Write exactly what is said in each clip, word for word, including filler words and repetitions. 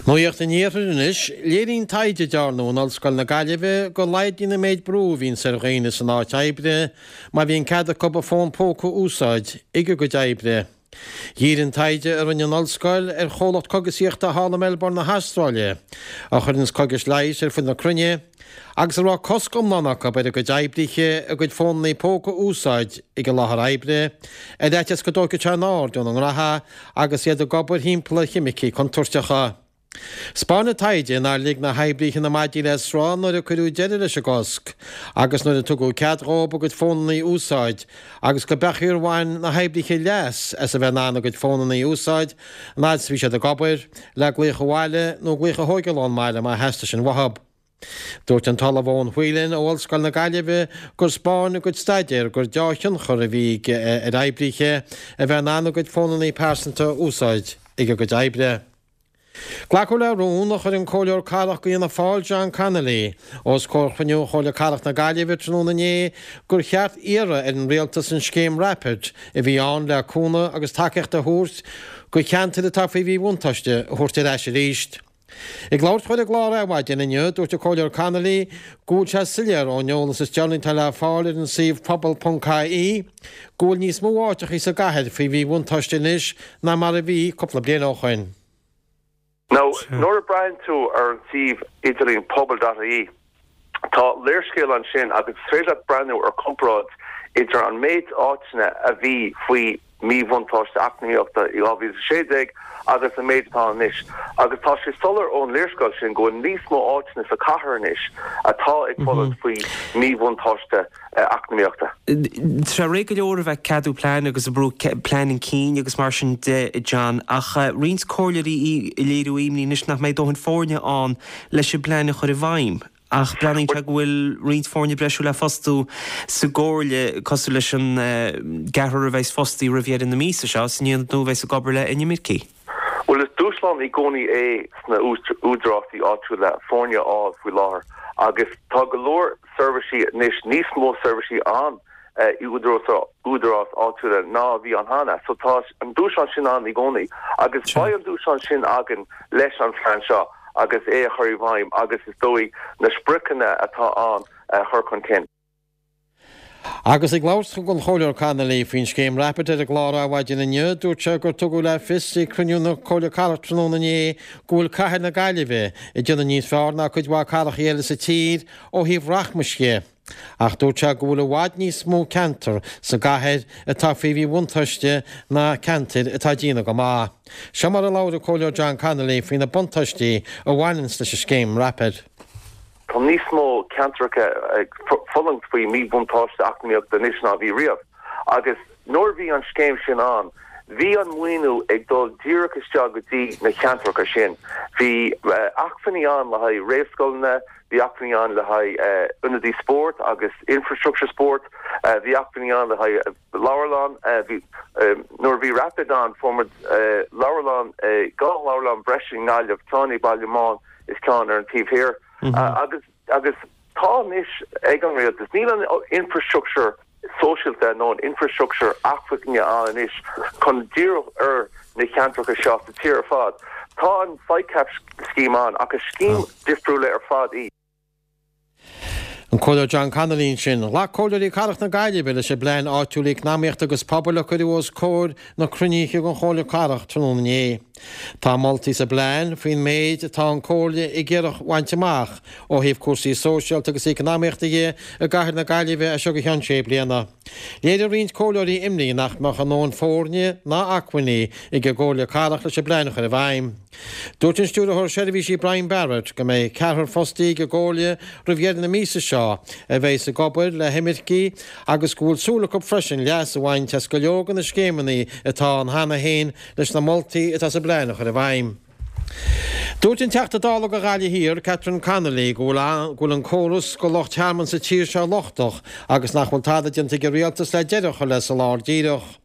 Nuacht an Iarthair anois, léiríonn taighde a dearnadh in Ollscoil na Gaillimhe go laghdaíonn an méid brú a bhíonns ar dhaoine san áit oibre má bhíonn cead acu a bhfón póca a úsáid ag a gcuid oibre. Dhírigh an taighde a rinne an Ollscoil ar chomhlacht cogasaíochta thall i Melbourne na hAstráile, a chuireanns cógais leighis ar fud na cruinne, agus a raibh cosc iomlán acu ar a gcuid oibrithe a gcuid fónanna póca a úsáid ag an láthair oibre, ar fhaitíos go dtógfadh sé a n-aird óna ngraithe agus iad ag obair thimpeall ar cheimicí contúirteacha. 'Spáin an taighde nár lig na hoibrithe na maidí le sruth nuair a cuireadh deireadh leis an gcosc agus nuair a tugadh cead dhóibh a gcuid fónanna a úsáid agus go b'ea gur bhain na hoibrithe leas as a bheith in ann a gcuid fónanna a úsáid an fhad is a bhí siad ag obair, le glaoch abhaile nó glaoch a thógáil ón mbaile má theastaigh sin uathu. Dúirt an tOllamh Eoin Whelan ó Ollscoil na Gaillimhe gur 'spáin a gcuid staidéar gur deá-thionchar a bhí ar oibrithe a bheith in ann a gcuid fónanna pearsanta a úsáid ag a gcuid oibre. Glacadh le rún a chuir an Comhairleoir Cathrach d'Fhianna Fáil John Connolly os comhair chruinniú Chomhairle Cathrach na Gaillimhe tráthnóna inné gur cheart iarraidh ar an rialtas an scéim Rapid a bhí ann le cúnamh agus tacaíocht a thabhairt do cheantair atá faoi mhíbhuntáiste a thabhairt ar ais arís. Ag labhairt dó ar an gclár Adhmhaidin inniu, dúirt an Comhairleoir Connolly go bhfuil sé soiléir ón eolas is deireanaí atá le fáil ar an suíomh pobal.ie go bhfuil níos mó áiteachaí sa gcathair faoi mhíbhuntáiste anois ná mar a bhí cúpla bliain ó shin. Now, nuair a bhreathnaíonn tú ar an suíomh idirlín pobal.ie, tá léarscáil ansin agus is féidir leat breathnú ar comparáid idir an méid áiteanna a bhí faoi míbhuntáiste eacnamaíochta i dhá mhíle is a sé déag agus an méid atá anois. Agus tá sé soiléir ón léarscáil sin go bhfuil níos mó áiteanna sa chathair anois atá ag fulaingt faoi míbhuntáiste eacnamaíochta. Tá sé réidh go leor a bheith ag ceadú plean agus ag brú plean chun cinn agus mar sin de, John, ach roinnt comhairleoirí ag léiriú imní anois nach mbeidh dóthain foirne ann leis an bplean a chur i bhfeidhm. Ach breathnaíonn sé go bhfuil roinnt foirne breise le fostú sa gcomhairle, cosúil leis an gceathrar a bheas fostaithe roimh dheireadh na míosa seo san aonad nua a bheas ag obair le inimircigh. Bhuel, is dúshlán i gcónaí é sna údarásaí áitiúla foirne a fháil faoi láthair agus tá go leor seirbhísí anois, níos mó seirbhísí ann i údarás áitiúla ná a bhí ann cheana. So tá an dúshlán sin ann i gcónaí agus beidh an dúshlán sin againn leis an phlean seo agus é a chur i bhfeidhm agus is dóigh na spriocanna atá ann a chur chun cinn. Agus ag labhairt don Chomhairleoir Connolly faoin scéim Rapid ar an gclár Adhmhaidin inniu, dúirt sé gur tugadh le fios ag cruinniú na Comhairle Cathrach tráthnóna inné go bhfuil cathair na Gaillimhe ag déanamh níos fearr ná cuid mhaith cathracha eile sa tír ó thaobh rachmais dhe. Ach dúirt sé go bhfuil i bhfad níos mó ceantar sa gcathair atá faoi mhíbhuntáiste ná ceantair atá ag déanamh go maith. Seo mar a labhair an Comhairleoir John Connolly faoi na buntáistí a bhaineanns leis an scéim Rapid. Tá níos mó ceantracha ag fulaingt faoi mhíbhuntáiste eacnamaíochta anois ná a bhí riamh agus nuair a bhí an scéim sin ann, bhí an maoiniú ag dul díreach isteach go dtí na ceantracha sin. Bhí acmhainní ann le haghaidh réamhscoileanna, bhí acmhainní ann le haghaidh ionadaí spóirt agus infrastructure spóirt, bhí acmhainní ann le haghaidh leabharlann, bhí, nuair a bhí Rapid ann, fuair muid leabharlann, dhá leabharlann breise i nGaillimh, ceann i Baile Meáin is ceann ar an taobh thiar. Agus agus tá anois ag an rialtas, níl an infrastructure sóisialta nó an infrastructure acmhainne ann anois chun díriú ar na ceantracha seo sa tír ar fad. Tá an FICAP scheme ann ach is scéim difriúla ar fad í. An Comhairleoir John Connolly ansin. Ghlac Comhairleoirí Cathrach na Gaillimhe leis an bPlean Áitiúil Eacnamaíochta agus Pobail a cuireadh os comhair na cruinnithe den Chomhairle Cathrach tráthnóna inné. Tá moltaí sa bplean faoin méid atá an Chomhairle ag iarraidh a bhaint amach ó thaobh cúrsaí sóisialta agus eacnamaíochta dhe i gcathair na Gaillimhe as seo go ceann sé bliana. Léirigh roinnt comhairleoirí imní nach mbeadh a ndóthain foirne ná acmhainní ag an gComhairle Cathrach leis an bplean a chur i bhfeidhm. Dúirt an Stiúrthóir Seirbhísí Brian Barrett go mbeidh ceathrar fostaí ag an gComhairle roimh dheireadh na míosa seo a bheidhs ag obair le himircigh agus go bhfuil súil acu freisin leas a bhaint as go leor de na scéimeanna atá ann cheana féin leis na moltaí atá sa bplean a chur i bhfeidhm. Dúirt an Teachta Dála do Ghaillimh Thiar, Catherine Connolly, go bhfuil an córas do lucht tearmainn sa tír seo lochtach agus nach bhfuil tada déanta ag an rialtas le deireadh a chur le soláthar díreach.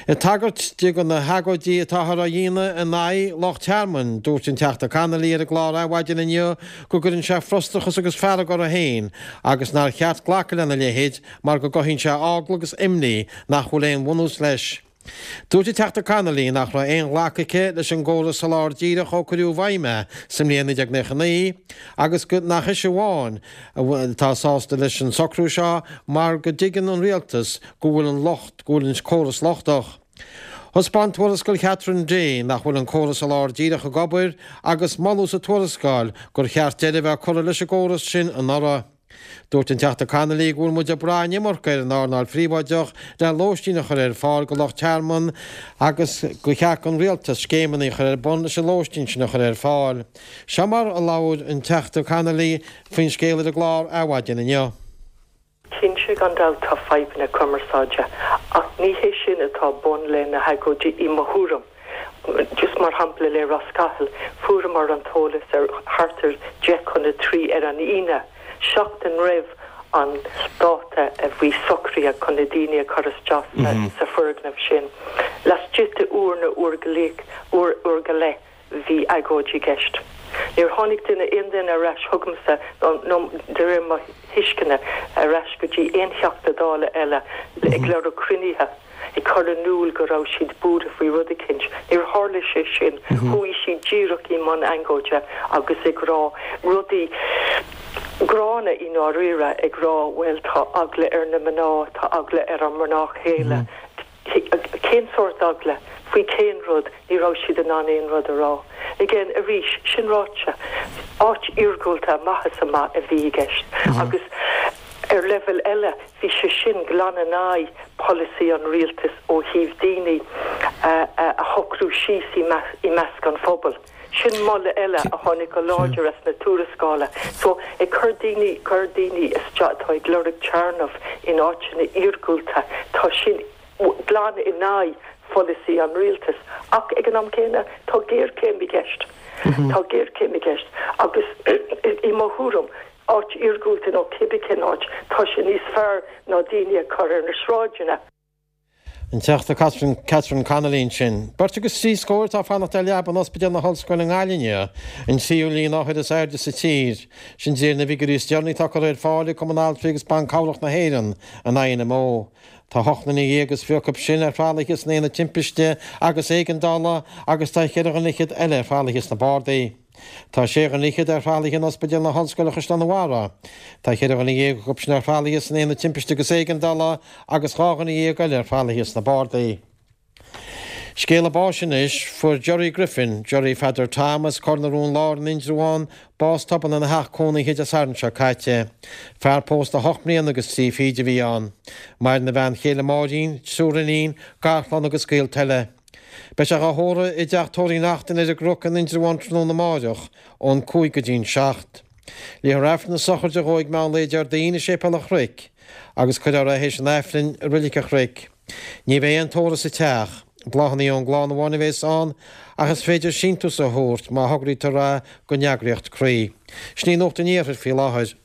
Ag tagairt di do na hagóidí atáthar á dhéanamh in aghaidh lucht tearmainn, dúirt an Teachta Connolly ar an gclár Adhmhaidin inniu go gcuireann sé frustrachas agus fearg uirthi féin agus nár cheart glacadh lena leithéid mar go gcothaíonn sé eagla agus imní nach bhfuil aon bhunús leis. Dúirt an Teachta Connolly nach raibh aon ghlacadh aici leis an gcóras soláthair díreach ó cuireadh i bhfeidhm é sa mbliain naoi déag nócha naoi agus go nach ise amháin atá sásta leis an socrú seo mar go dtuigeann an rialtas go bhfuil an locht go bhfuil an córas lochtach. Thaispeáin tuarascáil Catherine Day nach bhfuil an córas soláthair díreach ag obair agus moladh sa tuarascáil gur cheart deireadh a bheith curtha leis an gcóras sin anuraidh. Dúirt an Teachta Connolly go bhfuil muid ag brath an iomarca ar an earnáil phríobháideach le lóistín a chur ar fáil go lucht tearmann agus gur cheart don rialtas scéimeanna a chur ar bun leis an lóistín sin a chur ar fáil. Seo mar a labhair an Teachta Connolly faoin scéal ar an gclár Adhmhaidin inniu. Cinnte gan dabht tá fadhbanna cumarsáide ach ní hé sin atá bun le na hagóidí i mo thuairim. Just mar shampla le Ros Cathail, fuaireamar an t-eolas ar thart ar deich chun a trí ar an Aoine, seachtain roimh an dáta a bhí socraithe chun na daoine a chur isteach sa foirgneamh sin. Laistigh de uair nó uair go leith, uair, uair go leith, bhí agóid i gceist. Níor tháinig duine, aon duine ar ais chugamsa, nó de réir mo thuisceana, ar ais go dtí aon Theachta Dála eile ag lorg cruinnithe, ag cur in iúl go raibh siad buartha faoi rud eicínt. Níor tharla sé sin. Chuaigh siad díreach i mbun agóide agus ag rá rudaí gránna i ndáiríre, ag rá bhuel tá eagla ar na mná, tá eagla ar an mná chéile. Cén sórt eagla? Faoi cén rud? Ní raibh siad in ann aon rud a rá. Again, arís, sin ráite, áit iargúlta amach is amach a bhí i gceist. Agus ar leibhéal eile, bhí sé sin glan in aghaidh polasaí an rialtais ó thaobh daoine a shocrú síos i measc an phobail. Sin moladh eile a tháinig go láidir as na tuarascála. So, ag cur daoine, cur daoine isteach atá ag lorg tearmainn in áiteanna iargúlta, tá sin glan in aghaidh pholasaí an rialtais. Ach ag an am céanna, tá géarchéim i gceist. Tá géarchéim i gceist. Agus i mo thuairim, áit iargúlta nó cibé cén áit, tá sé níos fearr ná daoine a chur ar na sráideanna. An Teachta Catherine, Catherine Connolly ansin. Beirt agus trí scór atá ag fanacht ar leaba in Ospidéal na hOllscoile i nGaillimh inniu, an tríú líon othar is airde sa tír. Sin de réir na bhfigiúirí is deireanaí atá curtha ar fáil ag Cumann Altraí agus Ban Cabhrach na hÉireann, an I N M O. Tá ocht nduine dhéag is fiche acu sin ar thralaithe san aonad timpiste agus éigeandála agus tá ceithre dhuine fhichead eile ar thralaithe sna bardaí. Tá sé dhuine fhichead ar thralaithe in Ospidéal na hOllscoile Chaisleán an Bharraigh. Tá ceithre dhuine dhéag acu sin ar thralaithe san aonad timpiste agus éigeandála agus dhá dhuine dhéag eile ar thralaithe sna bardaí. Scéala báis anois, fuair Jerry Griffin, Jerry Pheadair Tom as Cor na Rón Láir in Indreabhán, bás tobann ina theach cónaithe Dé Sathairn seo caite. Fear pósta ocht mbliana agus trí fichid a bhí ann. Maireann a bhean chéile Máirín, triúr iníon, garchlann agus gaolta eile. Beidh sé á thórramh i dteach tórraimh Uí Neachtain ar an gCnoc in Indreabhán tráthnóna amáireach ón cúig go dtí'n seacht. Léifear Aifreann na sochraide dhó ag meán lae Déardaoin i Séipéal an Chnoic agus cuirfear é théis an Aifrinn i Reilig an Chnoic. Ní bheidh aon tórramh sa teach. Bláthanna ón gclann amháin a bheas ann ach is féidir síntiús a thabhairt má thograítear é don eagraíocht Croí. Sin í Nuacht an Iarthair faoi láthair.